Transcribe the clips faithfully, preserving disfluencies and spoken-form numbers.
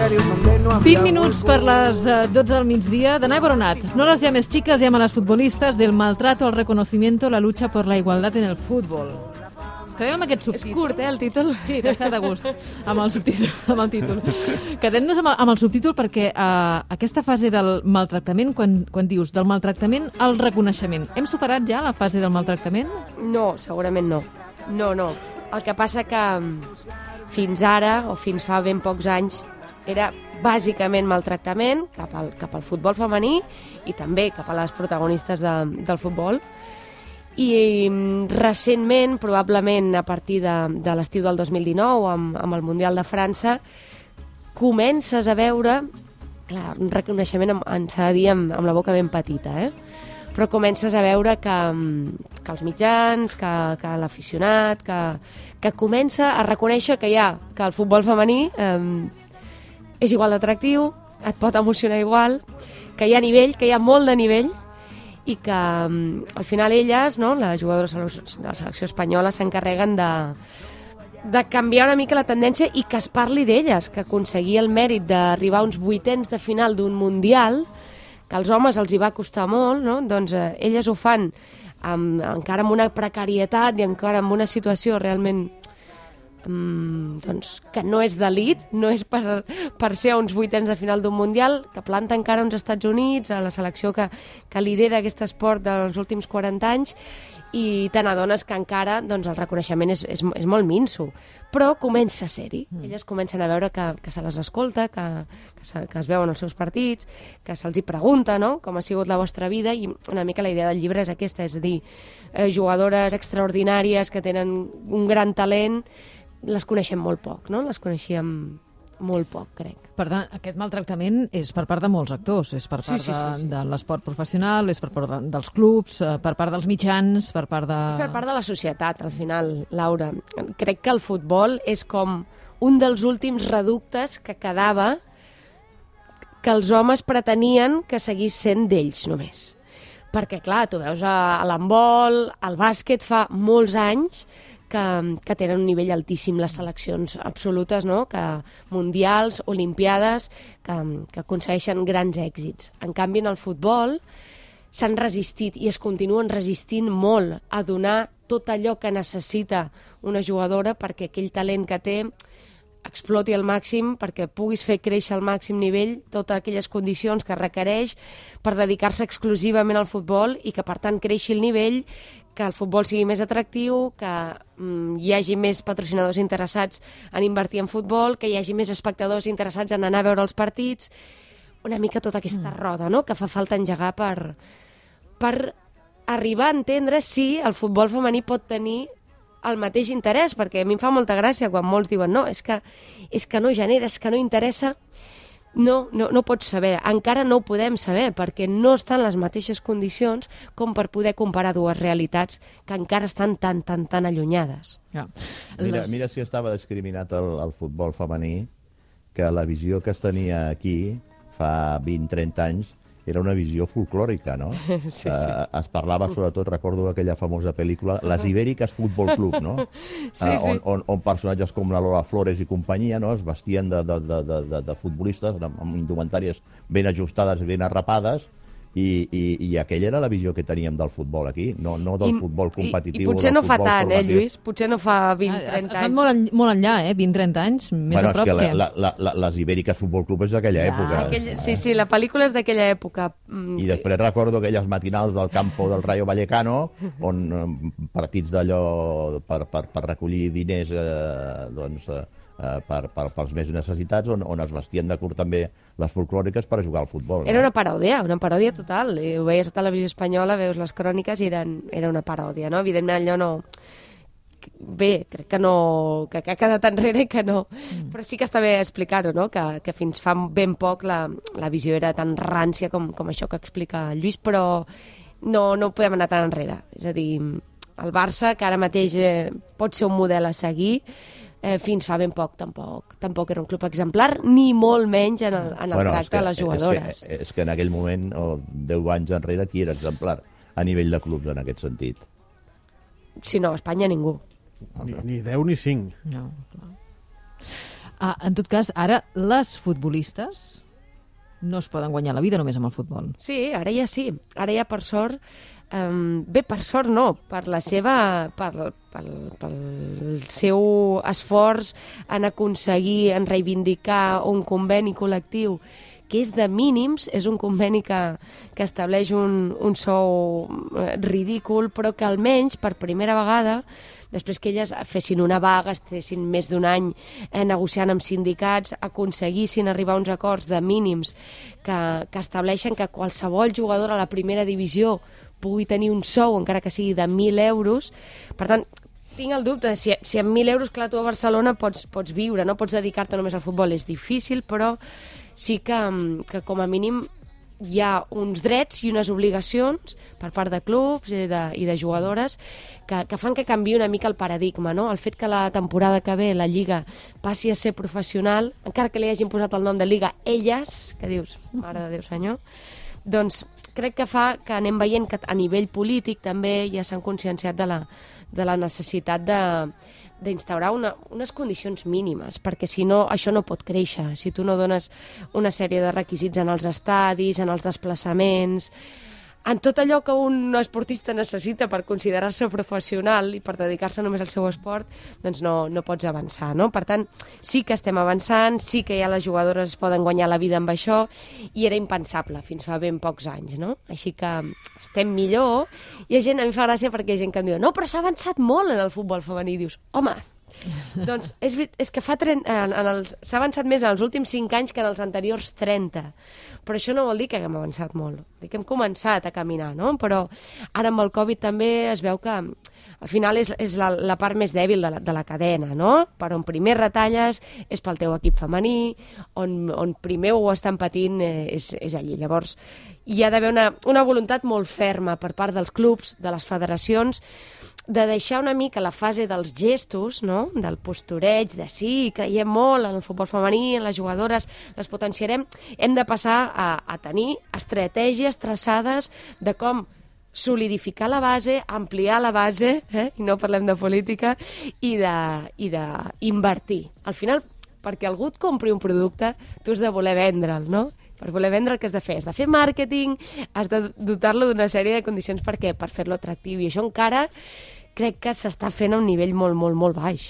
vint minuts per les dotze del migdia. Danai Boronat, no las llames chicas, llama a las futbolistas, del maltrato al reconocimiento, la lucha por la igualdad en el fútbol. Ens quedem amb aquest subtítol. És curt, eh, el títol? Sí, t'has quedat a gust amb el subtítol. Amb el títol. Quedem-nos amb, el, amb el subtítol perquè uh, aquesta fase del maltractament, quan, quan dius del maltractament al reconeixement, hem superat ja la fase del maltractament? No, segurament no. No, no. El que passa que fins ara, o fins fa ben pocs anys, era bàsicament maltractament cap al, cap al futbol femení i també cap a les protagonistes de, del futbol. I recentment, probablement a partir de, de l'estiu del dos mil dinou, amb, amb el Mundial de França, comences a veure, clar, un reconeixement, ens s'ha de dir, amb, amb la boca ben petita, eh? Però comences a veure que, que els mitjans, que, que l'aficionat, que, que comença a reconèixer que hi ha, que el futbol femení eh, és igual d'atractiu, et pot emocionar igual, que hi ha nivell, que hi ha molt de nivell, i que al final elles, no, les jugadores de la selecció espanyola, s'encarreguen de, de canviar una mica la tendència i que es parli d'elles, que aconseguir el mèrit d'arribar a uns vuitens de final d'un Mundial, que als homes els hi va costar molt, no? Doncs eh, elles ho fan amb, encara amb una precarietat i encara amb una situació realment um, doncs, que no és d'elit, no és per, per ser a uns vuitens de final d'un Mundial, que planta encara uns Estats Units, a la selecció que, que lidera aquest esport dels últims quaranta anys, i te n'adones que encara doncs, el reconeixement és, és, és molt minso, però comença a ser-hi. Mm. Elles comencen a veure que, que se les escolta, que, que, se, que es veuen els seus partits, que se'ls hi pregunta, no?, com ha sigut la vostra vida, i una mica la idea del llibre és aquesta, és a dir, eh, jugadores extraordinàries que tenen un gran talent, les coneixem molt poc, no?, les coneixíem molt poc, crec. Per tant, aquest maltractament és per part de molts actors, és per part sí, sí, sí, sí. de, de l'esport professional, és per part de, dels clubs, per part dels mitjans, per part de... És per part de la societat, al final, Laura. Crec que el futbol és com un dels últims reductes que quedava que els homes pretenien que seguís sent d'ells només. Perquè, clar, tu veus a, a l'handbol, al bàsquet, fa molts anys que, que tenen un nivell altíssim les seleccions absolutes, no?, que mundials, olimpiades, que, que aconsegueixen grans èxits. En canvi, en el futbol s'han resistit i es continuen resistint molt a donar tot allò que necessita una jugadora perquè aquell talent que té exploti al màxim, perquè puguis fer créixer al màxim nivell totes aquelles condicions que requereix per dedicar-se exclusivament al futbol i que, per tant, creixi el nivell, que el futbol sigui més atractiu, que mm, hi hagi més patrocinadors interessats en invertir en futbol, que hi hagi més espectadors interessats en anar a veure els partits, una mica tota aquesta mm. roda, no?, que fa falta engegar per, per arribar a entendre si el futbol femení pot tenir el mateix interès, perquè a mi em fa molta gràcia quan molts diuen no, és que, és que no genera, és que no interessa. No, no, no pots saber, encara no ho podem saber, perquè no estan les mateixes condicions com per poder comparar dues realitats que encara estan tan, tan, tan allunyades. Ja. Mira, mira si estava discriminat el, el futbol femení, que la visió que es tenia aquí fa vint a trenta anys era una visió folclòrica, no? Sí, sí. Uh, es parlava, sobretot, recordo aquella famosa pel·lícula, Les Ibèriques Futbol Club, no? Sí, uh, on, on, on personatges com la Lola Flores i companyia, no?, es vestien de, de, de, de, de futbolistes amb, amb indumentàries ben ajustades i ben arrapades, i, i, i aquella era la visió que teníem del futbol aquí, no, no del I, futbol competitiu. I, i potser no fa tant, eh, Lluís? Potser no fa vint a trenta anys. Estan molt, en, molt enllà, eh? vint a trenta anys, més bueno, a prop que... que... La, la, la, les Ibèriques Futbol Club és d'aquella Ja, època. Aquell, sí, sí, la pel·lícula és d'aquella època. I després recordo aquelles matinals del campo del Rayo Vallecano, on eh, partits d'allò per, per, per recollir diners eh, doncs, eh, per, per, pels més necessitats, on, on es vestien de curt també les folclòriques per jugar al futbol. No? Era una paròdia, una paròdia total. I ho veies a televisió espanyola, veus les cròniques i eren, era una paròdia, no? Evidentment allò no... Bé, crec que no... que, que ha quedat enrere i que no... Mm. Però sí que està bé explicar-ho, no?, que, que fins fa ben poc la, la visió era tan rància com, com això que explica el Lluís, però no, no podem anar tan enrere. És a dir, el Barça, que ara mateix eh, pot ser un model a seguir, eh, fins fa ben poc tampoc, tampoc era un club exemplar, ni molt menys en el, en el bueno, tracte que, de les jugadores. És que, és que en aquell moment, o deu anys enrere, qui era exemplar a nivell de clubs en aquest sentit? Si no, a Espanya ningú. Ni, ni deu ni cinc. No, clar. Ah, en tot cas, ara les futbolistes no es poden guanyar la vida només amb el futbol. Sí, ara ja sí. Ara ja, per sort, um, bé, per sort no, per la seva, per, pel, pel seu esforç en aconseguir, en reivindicar un conveni col·lectiu que és de mínims, és un conveni que, que estableix un, un sou ridícul, però que almenys, per primera vegada, després que elles fessin una vaga, estessin més d'un any eh, negociant amb sindicats, aconseguissin arribar a uns acords de mínims que, que estableixen que qualsevol jugador a la primera divisió pugui tenir un sou, encara que sigui de mil euros. Per tant, tinc el dubte de si, si amb mil euros, clar, tu a Barcelona pots, pots viure, no pots dedicar-te només al futbol, és difícil, però sí que, que com a mínim hi ha uns drets i unes obligacions per part de clubs i de, i de jugadores que, que fan que canviï una mica el paradigma, no? El fet que la temporada que ve la Lliga passi a ser professional, encara que li hagin posat el nom de Lliga elles, que dius, mare de Déu senyor, doncs crec que fa que anem veient que a nivell polític també ja s'han conscienciat de la, de la necessitat de d'instaurar una, unes condicions mínimes, perquè si no, això no pot créixer. Si tu no dones una sèrie de requisits en els estadis, en els desplaçaments, en tot allò que un esportista necessita per considerar-se professional i per dedicar-se només al seu esport, doncs no, no pots avançar, no? Per tant, sí que estem avançant, sí que ja les jugadores poden guanyar la vida amb això, i era impensable fins fa ben pocs anys, no? Així que estem millor. Hi ha gent, a mi fa gràcia perquè hi ha gent que em diu no, però s'ha avançat molt en el futbol femení. Dius, home, doncs és, és que fa trenta, en, en els, s'ha avançat més en els últims cinc anys que en els anteriors trenta. Però això no vol dir que haguem avançat molt. Dir que hem començat a caminar, no? Però ara amb el Covid també es veu que al final és, és la, la part més dèbil de la, de la cadena, no? Per on primer retalles és pel teu equip femení, on, on primer ho estan patint eh, és, és allí. Llavors, hi ha d'haver una, una voluntat molt ferma per part dels clubs, de les federacions, de deixar una mica la fase dels gestos, no? Del postureig, de sí, creiem molt en el futbol femení, en les jugadores, les potenciarem. Hem de passar a, a tenir estratègies traçades de com solidificar la base, ampliar la base, eh? I no parlem de política, i d'invertir. Al final, perquè algú et compri un producte, tu has de voler vendre'l, no? Per voler vendre el que has de fer? Has de fer màrqueting, has de dotar-lo d'una sèrie de condicions per què? Per fer-lo atractiu. I això encara crec que s'està fent a un nivell molt, molt, molt baix.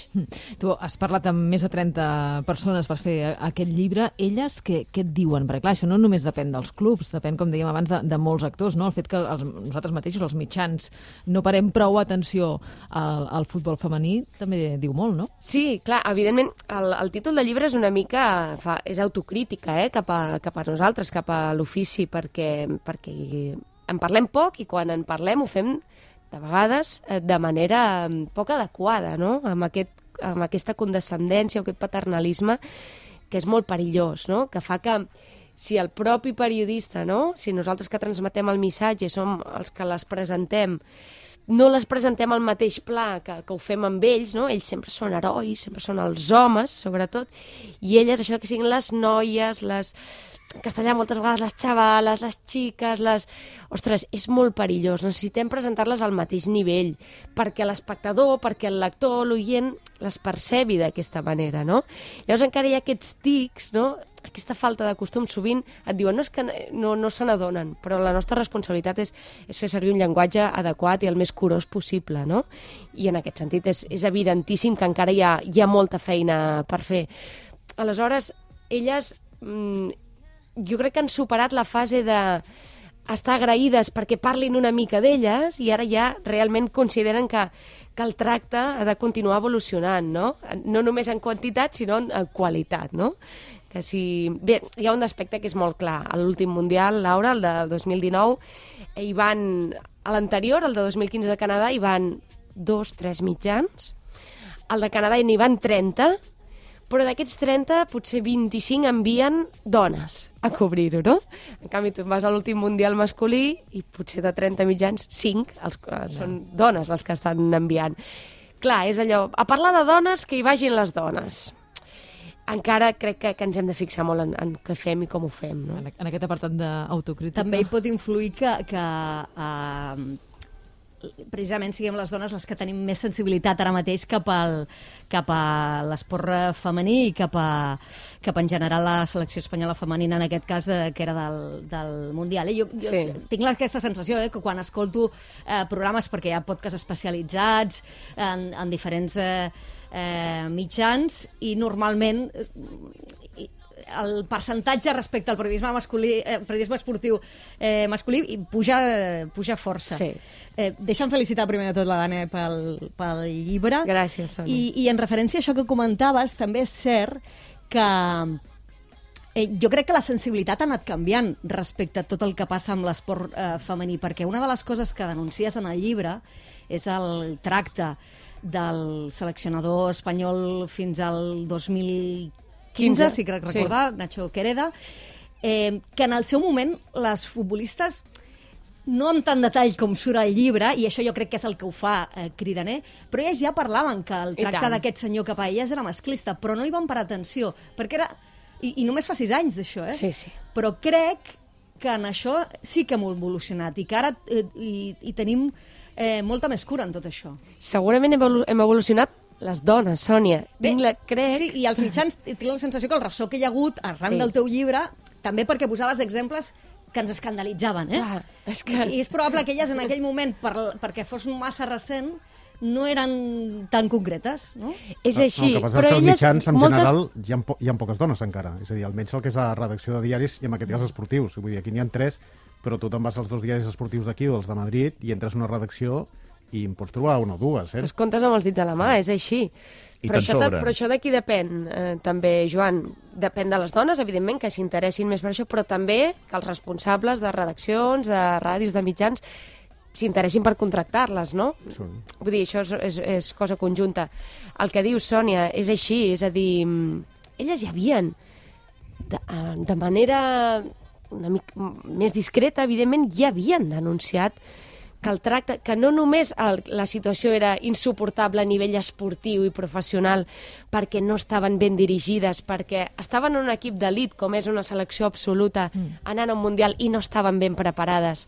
Tu has parlat amb més de trenta persones per fer aquest llibre. Elles què, què et diuen? Perquè clar, això no només depèn dels clubs, depèn, com dèiem abans, de, de molts actors, no? El fet que els, nosaltres mateixos, els mitjans, no parem prou atenció al, al futbol femení també diu molt, no? Sí, clar, evidentment, el, el títol del llibre és una mica, fa, és autocrítica, eh? cap, a, cap a nosaltres, cap a l'ofici, perquè, perquè en parlem poc i quan en parlem ho fem de vegades de manera poc adequada, no? Amb, aquest, amb aquesta condescendència o aquest paternalisme que és molt perillós, no? Que fa que si el propi periodista, no? Si nosaltres que transmetem el missatge som els que les presentem, no les presentem al mateix pla que, que ho fem amb ells, no? Ells sempre són herois, sempre són els homes, sobretot, i elles, això que siguin les noies, les... en castellà moltes vegades les xavales, les xiques, les... Ostres, és molt perillós. Necessitem presentar-les al mateix nivell perquè l'espectador, perquè el lector, l'oient, les percebi d'aquesta manera, no? Llavors encara hi ha aquests tics, no? Aquesta falta de costum. Sovint et diuen no, és que no, no se n'adonen, però la nostra responsabilitat és, és fer servir un llenguatge adequat i el més curós possible, no? I en aquest sentit és, és evidentíssim que encara hi ha, hi ha molta feina per fer. Aleshores, elles... Mmm, jo crec que han superat la fase de estar agraïdes perquè parlin una mica d'elles i ara ja realment consideren que, que el tracte ha de continuar evolucionant, no? No només en quantitat, sinó en, en qualitat, no? Que si... Bé, hi ha un aspecte que és molt clar. A l'últim Mundial, Laura, el de dos mil dinou, hi van... A l'anterior, el de dos mil quinze de Canadà, hi van dos, tres mitjans. Al de Canadà n'hi van trenta, però d'aquests trenta, potser vint-i-cinc envien dones a cobrir-ho, no? En canvi, tu vas a l'últim Mundial masculí i potser de trenta mitjans, cinc els, són dones les que estan enviant. Clar, és allò, a parlar de dones, que hi vagin les dones. Encara crec que, que ens hem de fixar molt en, en què fem i com ho fem, no? En, en aquest apartat d'autocrítica. També hi pot influir que, que uh, precisament siguem les dones les que tenim més sensibilitat ara mateix cap al, cap a l'esport femení i cap a, cap a en general la selecció espanyola femenina, en aquest cas, eh, que era del, del Mundial. Eh? Jo, jo Sí. tinc aquesta sensació eh, que quan escolto eh, programes, perquè hi ha podcasts especialitzats en, en diferents eh, eh, mitjans, i normalment eh, el percentatge respecte al periodisme masculí, eh, periodisme esportiu eh, masculí i puja, puja força. Sí. Eh, deixa'm felicitar primer de tot la Dana pel, pel llibre. Gràcies, Sònia. I, I en referència a això que comentaves, també és cert que eh, jo crec que la sensibilitat ha anat canviant respecte a tot el que passa amb l'esport eh, femení, perquè una de les coses que denuncies en el llibre és el tracte del seleccionador espanyol fins al dos mil quinze, si crec recordar, sí. Nacho Quereda, eh, que en el seu moment les futbolistes, no amb tant detall com surt al llibre, i això jo crec que és el que ho fa eh, cridaner, però elles ja parlaven que el tracte d'aquest senyor cap a elles era masclista, però no hi van parar atenció, perquè era... I, i només fa sis anys d'això, eh? Sí, sí. Però crec que en això sí que hem evolucionat i que ara eh, hi, hi tenim eh, molta més cura en tot això. Segurament hem, evolu hem evolucionat les dones, Sònia. Bé, Tinc la, crec... Sí, i els mitjans, tinc la sensació que el ressò que hi ha hagut arran Sí. del teu llibre, també perquè posaves exemples que ens escandalitzaven, eh? Clar, és que... I és probable que elles en aquell moment, per, perquè fos massa recent, no eren tan concretes, no? És així, no, el que passa però és que als elles... mitjans, en moltes... general, hi ha, po hi ha poques dones encara. És a dir, almenys el que és la redacció de diaris, i en aquest cas esportius. Vull dir, aquí n'hi ha tres, però tu te'n vas als dos diaris esportius d'aquí o els de Madrid i entres en una redacció i en pots trobar una o dues, eh? Els comptes amb els dits de la mà, és així. I Però te'n això, sobren. però això d'aquí depèn, eh, també, Joan. Depèn de les dones, evidentment, que s'interessin més per això, però també que els responsables de redaccions, de ràdios, de mitjans, s'interessin per contractar-les, no? Sí. Vull dir, això és, és, és cosa conjunta. El que dius, Sònia, és així, és a dir, elles ja havien, de, de manera una mica més discreta, evidentment, ja havien denunciat que el tracte, que no només el, la situació era insuportable a nivell esportiu i professional perquè no estaven ben dirigides, perquè estaven en un equip d'elit com és una selecció absoluta mm. anant a un mundial i no estaven ben preparades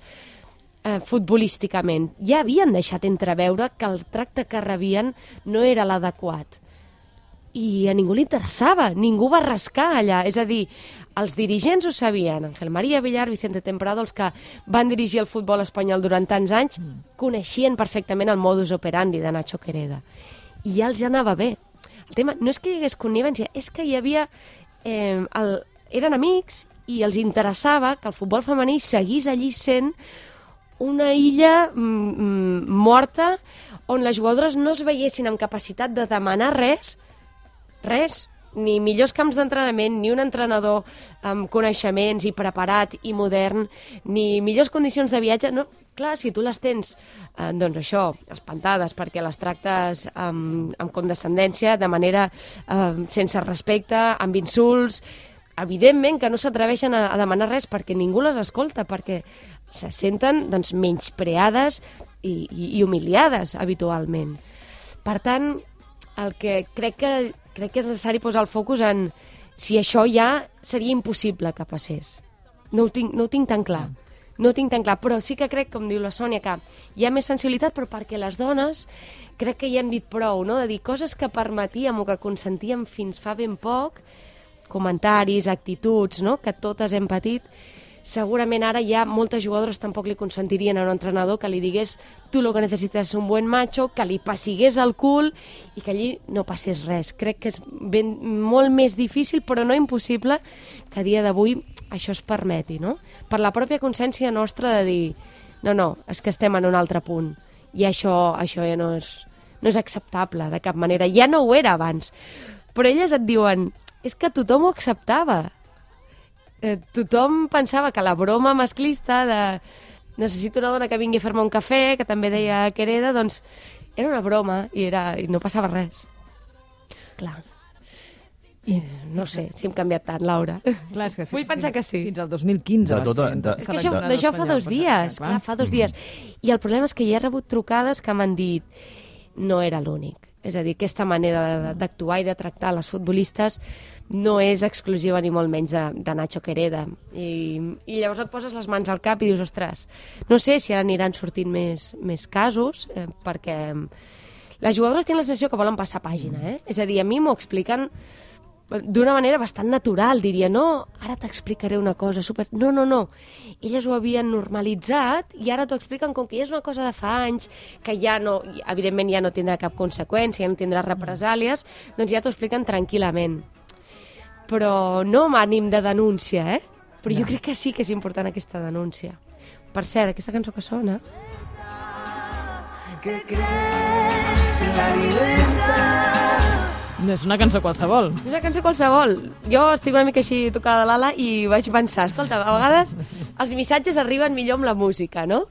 eh, futbolísticament. Ja havien deixat entreveure que el tracte que rebien no era l'adequat. I a ningú li interessava, ningú va rascar allà. És a dir, els dirigents ho sabien, Ángel María Villar, Vicente Temprado, els que van dirigir el futbol espanyol durant tants anys, mm. coneixien perfectament el modus operandi de Nacho Quereda. I ja els anava bé. El tema no és que hi hagués connivència, és que hi havia... Eh, el, eren amics i els interessava que el futbol femení seguís allí sent una illa mm, morta on les jugadores no es veiessin amb capacitat de demanar res, res, ni millors camps d'entrenament, ni un entrenador amb coneixements i preparat i modern, ni millors condicions de viatge. No, clar, si tu les tens, eh, doncs això, espantades, perquè les tractes amb, amb condescendència, de manera eh, sense respecte, amb insults, evidentment que no s'atreveixen a, a demanar res perquè ningú les escolta, perquè se senten doncs, menyspreades i, i, i humiliades habitualment. Per tant, el que crec que crec que és necessari posar el focus en si això ja seria impossible que passés. No ho tinc, no ho tinc tan clar. No ho tinc tan clar, però sí que crec, com diu la Sònia, que hi ha més sensibilitat, però perquè les dones crec que ja hem dit prou, no?, de dir coses que permetíem o que consentíem fins fa ben poc, comentaris, actituds, no?, que totes hem patit. Segurament ara ja moltes jugadores tampoc li consentirien a un entrenador que li digués tu lo que necessites és un buen macho, que li passigués el cul i que allí no passés res. Crec que és ben, molt més difícil, però no impossible, que a dia d'avui això es permeti, no? Per la pròpia consciència nostra de dir no, no, és que estem en un altre punt i això, això ja no és, no és acceptable de cap manera. Ja no ho era abans. Però elles et diuen és que tothom ho acceptava. Eh, tothom pensava que la broma masclista de necessito una dona que vingui a fer-me un cafè, que també deia Quereda, doncs era una broma i, era, i no passava res. Clar. I, no sé si hem canviat tant, Laura. Clar, és que Vull pensar que sí. Fins al dos mil quinze. De tota- va ser, de- doncs, És que això, seleccionador d'això fa espanyol, dos però, dies, clar. clar, fa dos dies. I el problema és que hi ha rebut trucades que m'han dit no era l'únic. És a dir, aquesta manera d'actuar i de tractar les futbolistes no és exclusiva ni molt menys de, de Nacho Quereda. I, I llavors et poses les mans al cap i dius, ostres, no sé si ara aniran sortint més, més casos, eh, perquè les jugadores tenen la sensació que volen passar pàgina, eh? És a dir, a mi m'ho expliquen d'una manera bastant natural, diria, no, ara t'explicaré una cosa super... No, no, no. Elles ho havien normalitzat i ara t'ho expliquen com que ja és una cosa de fa anys, que ja no, evidentment ja no tindrà cap conseqüència, ja no tindrà represàlies, doncs ja t'ho expliquen tranquil·lament. Però no amb ànim de denúncia, eh? Però jo crec que sí que és important aquesta denúncia. Per cert, aquesta cançó que sona... Que crees en la libertad. No és una cançó qualsevol. És una cançó qualsevol. Jo estic una mica així tocada de l'ala i vaig pensar, escolta, a vegades els missatges arriben millor amb la música, no?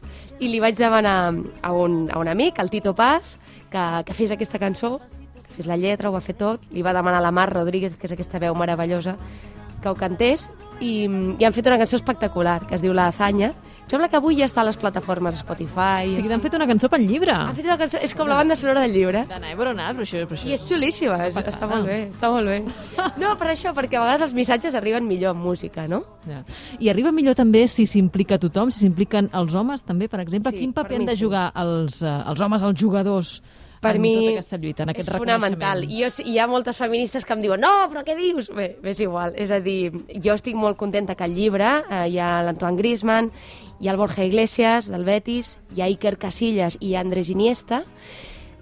I li vaig demanar a un, a un amic, el Tito Paz, que, que fes aquesta cançó, que fes la lletra, ho va fer tot. Li va demanar a la Mar Rodríguez, que és aquesta veu meravellosa, que ho cantés, i, i han fet una cançó espectacular, que es diu La Hazaña. Sembla que avui ja està a les plataformes Spotify. O sigui, t'han fet una cançó pel llibre. Han fet una cançó, és com la banda sonora del llibre. D'Anna Ebronat, però això... Però això I és xulíssima, és, passada. està molt bé, està molt bé. No, per això, perquè a vegades els missatges arriben millor amb música, no? Ja. I arriba millor també si s'implica tothom, si s'impliquen els homes també, per exemple. Sí, Quin per paper mi han de sí. jugar els, uh, els homes, els jugadors, Per en mi tota aquesta lluita, en aquest és fonamental. reconeixement? I jo, hi ha moltes feministes que em diuen no, però què dius? Bé, és igual. És a dir, jo estic molt contenta que al llibre eh, hi ha l'Antoine Griezmann, hi ha el Borja Iglesias, del Betis, hi ha Iker Casillas i Andrés Iniesta,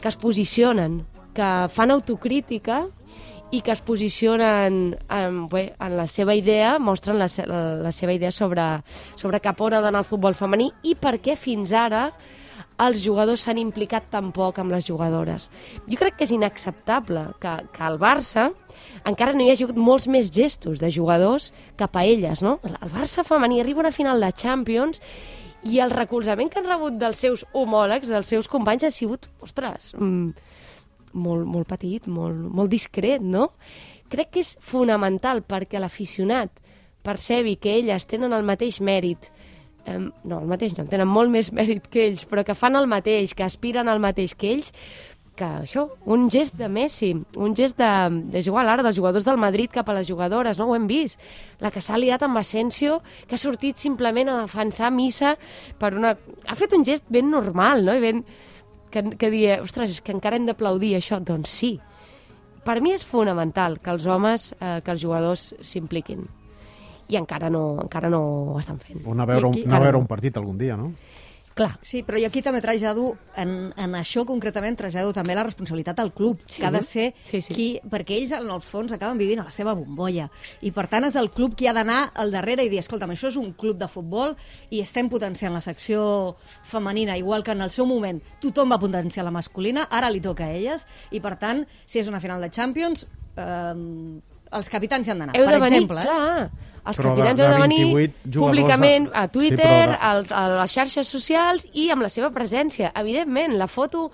que es posicionen, que fan autocrítica i que es posicionen en, bé, en la seva idea, mostren la, la, la seva idea sobre, sobre cap on ha d'anar el futbol femení i per què fins ara els jugadors s'han implicat tan poc amb les jugadores. Jo crec que és inacceptable que, que al Barça encara no hi hagi hagut molts més gestos de jugadors cap a elles, no? El Barça femení arriba a una final de Champions i el recolzament que han rebut dels seus homòlegs, dels seus companys, ha sigut, ostres, mm, molt, molt petit, molt, molt discret, no? Crec que és fonamental perquè l'aficionat percebi que elles tenen el mateix mèrit. Um, no, el mateix no, tenen molt més mèrit que ells, però que fan el mateix, que aspiren al mateix que ells, que això, un gest de Messi, un gest de, és igual ara, dels jugadors del Madrid cap a les jugadores, no ho hem vist. La que s'ha liat amb Asensio, que ha sortit simplement a defensar missa per una... Ha fet un gest ben normal, no? I ben... Que, que dir, ostres, és que encara hem d'aplaudir això. Doncs sí. Per mi és fonamental que els homes, eh, que els jugadors s'impliquin. I encara no, encara no ho estan fent. O anar a veure, aquí, un, anar a veure un partit algun dia, no? Clar. Sí, però jo aquí també trasllado, en, en això concretament, trasllado també la responsabilitat al club, Sí. que ha de ser Sí, sí. qui, perquè ells en el fons acaben vivint a la seva bombolla, i per tant és el club qui ha d'anar al darrere i dir, escolta'm, això és un club de futbol i estem potenciant la secció femenina, igual que en el seu moment tothom va potenciar la masculina, ara li toca a elles, i per tant, si és una final de Champions, eh, els capitans hi han d'anar, Heu per de venir, exemple. Eh? clar. Els Però capitans de- heu de de venir vint-i-vuit jugadors públicament a- a Twitter, Sí, però de- al, a les xarxes socials i amb la seva presència. Evidentment, la foto...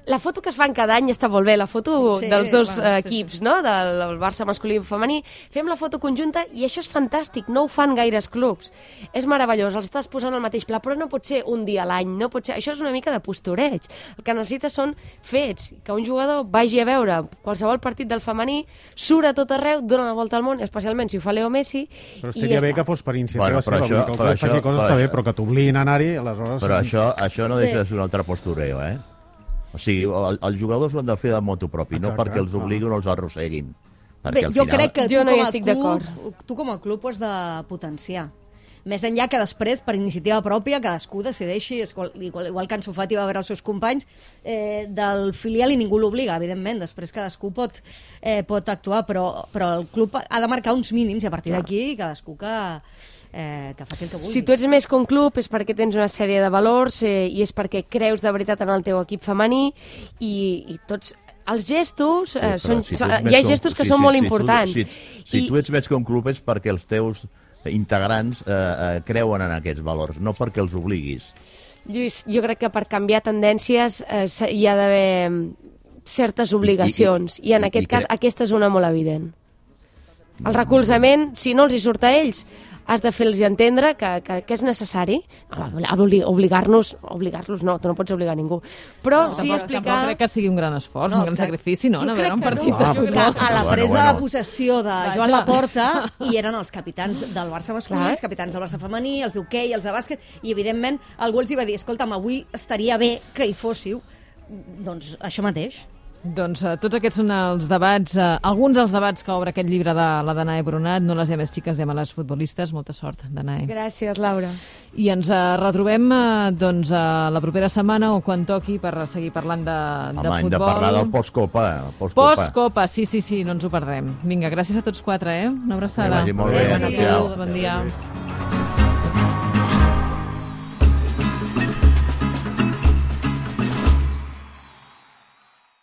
La foto que es fan cada any està molt bé, la foto Sí, dels dos va, eh, sí, equips, no? Del, del Barça masculí i femení. Fem la foto conjunta i això és fantàstic, no ho fan gaires clubs. És meravellós, els estàs posant al mateix pla, però no pot ser un dia a l'any, no pot ser... Això és una mica de postureig. El que necessites són fets, que un jugador vagi a veure qualsevol partit del femení, surt a tot arreu, dona la volta al món, especialment si ho fa Leo Messi, Però i estaria ja bé està. que fos per iniciativa Bueno, però seva, això- vull dir que el però club faci això- coses però està bé, això- però que t'obliguin a anar-hi, aleshores... Però això, això no deixa Sí. de ser un altre postureo, eh? O sigui, el, els jugadors ho han de fer de motu propi, no Exacte, perquè els no. obliguin o els arrosseguin. Perquè Bé, al jo final... crec que Jo tu, no hi com a estic club, d'acord. tu com a club ho has de potenciar. Més enllà que després, per iniciativa pròpia, cadascú decideixi, igual, igual, igual que Ansu Fati va veure els seus companys eh, del filial i ningú l'obliga, evidentment. Després cadascú pot, eh, pot actuar, però, però el club ha de marcar uns mínims i a partir d'aquí cadascú que, eh, que faci el que vulgui. Si tu ets més que un club és perquè tens una sèrie de valors eh, i és perquè creus de veritat en el teu equip femení i, i tots els gestos, Sí, eh, però són, si tu són, ets més hi ha que un- gestos que sí, són sí, molt sí, importants. Tu, si si I, tu ets més que un club és perquè els teus integrants eh, eh, creuen en aquests valors, no perquè els obliguis. Lluís, jo crec que per canviar tendències eh, se- hi ha d'haver certes obligacions i, i, i, i en i- aquest i cas cre- aquesta és una molt evident. El recolzament, si no els hi surt a ells, has de fer-los entendre que, que, que és necessari. Obligar-nos, obligar-los no, tu no pots obligar ningú. Però No, sí tampoc, explicar... tampoc crec que sigui un gran esforç, No, un gran exacte. sacrifici, no? Jo No veure crec un que partit no. de Ah, futbol. Que a la Bueno, presa bueno. de possessió de Vaja. Joan Laporta hi eren els capitans del Barça masculí, Clar. els capitans del Barça femení, els d'hoquei, els de bàsquet, i evidentment algú els hi va dir, escolta'm, avui estaria bé que hi fóssiu. Doncs això mateix. Doncs uh, tots aquests són els debats, uh, alguns dels debats que obre aquest llibre de la Danae Brunat, no les llames xiques, llames les futbolistes. Molta sort, Danae. Gràcies, Laura. I ens uh, retrobem uh, doncs, uh, la propera setmana o quan toqui per seguir parlant de, Home, de hem futbol. de parlar del postcopa. eh, Postcopa. Postcopa, sí, sí, sí, no ens ho perdrem. Vinga, gràcies a tots quatre, eh? Una abraçada. Que vagi molt bé. Bona Gràcies. tarda, bon dia.